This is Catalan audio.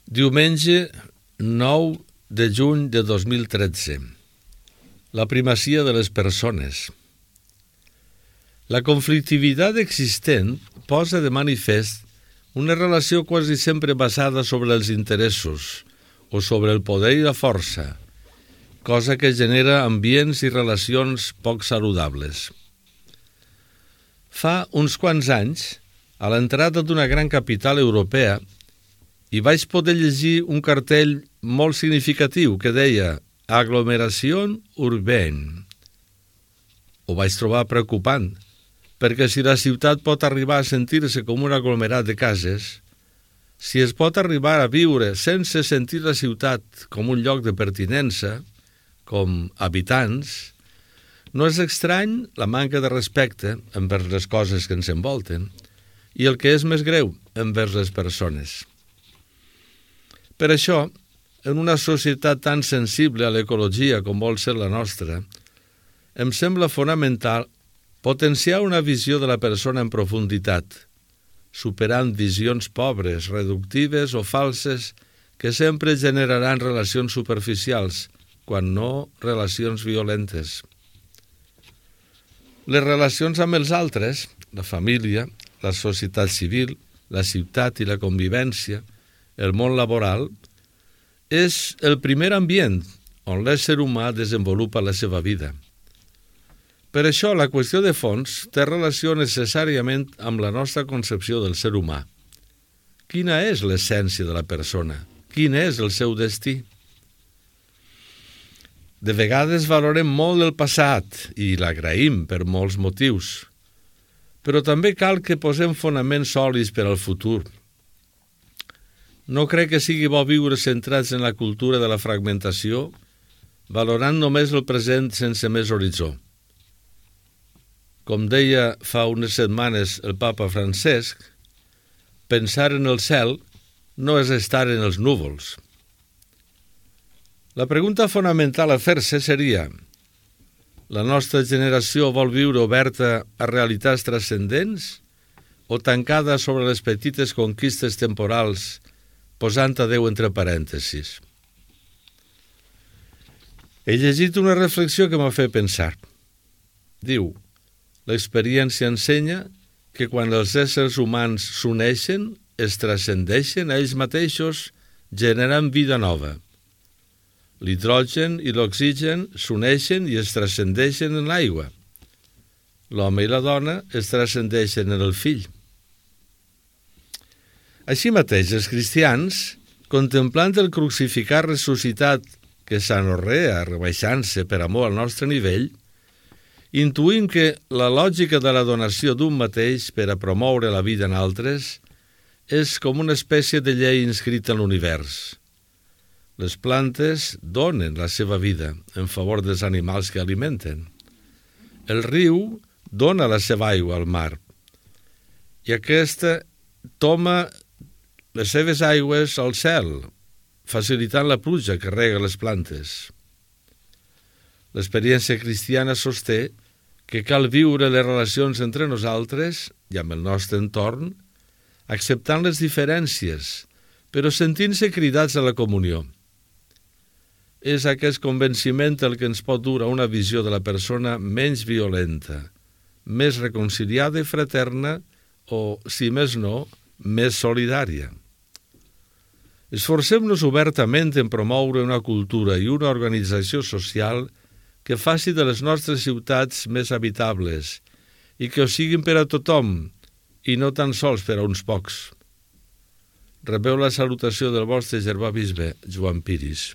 Diumenge 9 de juny de 2013. La primacia de les persones. La conflictivitat existent posa de manifest una relació quasi sempre basada sobre els interessos o sobre el poder i la força, cosa que genera ambients i relacions poc saludables. Fa uns quants anys, a l'entrada d'una gran capital europea, i vaig poder llegir un cartell molt significatiu que deia «Aglomeració urbaine». Ho vaig trobar preocupant, perquè si la ciutat pot arribar a sentir-se com un aglomerat de cases, si es pot arribar a viure sense sentir la ciutat com un lloc de pertinença, com habitants, no és estrany la manca de respecte envers les coses que ens envolten i el que és més greu, envers les persones. Per això, en una societat tan sensible a l'ecologia com vol ser la nostra, em sembla fonamental potenciar una visió de la persona en profunditat, superant visions pobres, reductives o falses que sempre generaran relacions superficials, quan no relacions violentes. Les relacions amb els altres, la família, la societat civil, la ciutat i la convivència, el món laboral, és el primer ambient on l'ésser humà desenvolupa la seva vida. Per això, la qüestió de fons té relació necessàriament amb la nostra concepció del ser humà. Quina és l'essència de la persona? Quin és el seu destí? De vegades valorem molt el passat i l'agraïm per molts motius, però també cal que posem fonaments sòlids per al futur. No crec que sigui bo viure centrats en la cultura de la fragmentació, valorant només el present sense més horitzó. Com deia fa unes setmanes el papa Francesc, pensar en el cel no és estar en els núvols. La pregunta fonamental a fer-se seria: la nostra generació vol viure oberta a realitats transcendents o tancada sobre les petites conquistes temporals, posant a Déu entre parèntesis? He llegit una reflexió que m'ha fet pensar. Diu: l'experiència ensenya que quan els éssers humans s'uneixen, es transcendeixen a ells mateixos, generant vida nova. L'hidrogen i l'oxigen s'uneixen i es transcendeixen en l'aigua. L'home i la dona es transcendeixen en el fill. Així mateix, els cristians, contemplant el crucificat ressuscitat que s'anorrea rebaixant-se per amor al nostre nivell, intuïm que la lògica de la donació d'un mateix per a promoure la vida en altres és com una espècie de llei inscrita en l'univers. Les plantes donen la seva vida en favor dels animals que alimenten. El riu dona la seva aigua al mar i aquesta toma les seves aigües al cel, facilitant la pluja que rega les plantes. L'experiència cristiana sosté que cal viure les relacions entre nosaltres i amb el nostre entorn, acceptant les diferències, però sentint-se cridats a la comunió. És aquest convenciment el que ens pot dur a una visió de la persona menys violenta, més reconciliada i fraterna o, si més no, més solidària. Esforcem-nos obertament en promoure una cultura i una organització social que faci de les nostres ciutats més habitables i que ho siguin per a tothom i no tan sols per a uns pocs. Rebeu la salutació del vostre germà bisbe, Joan Piris.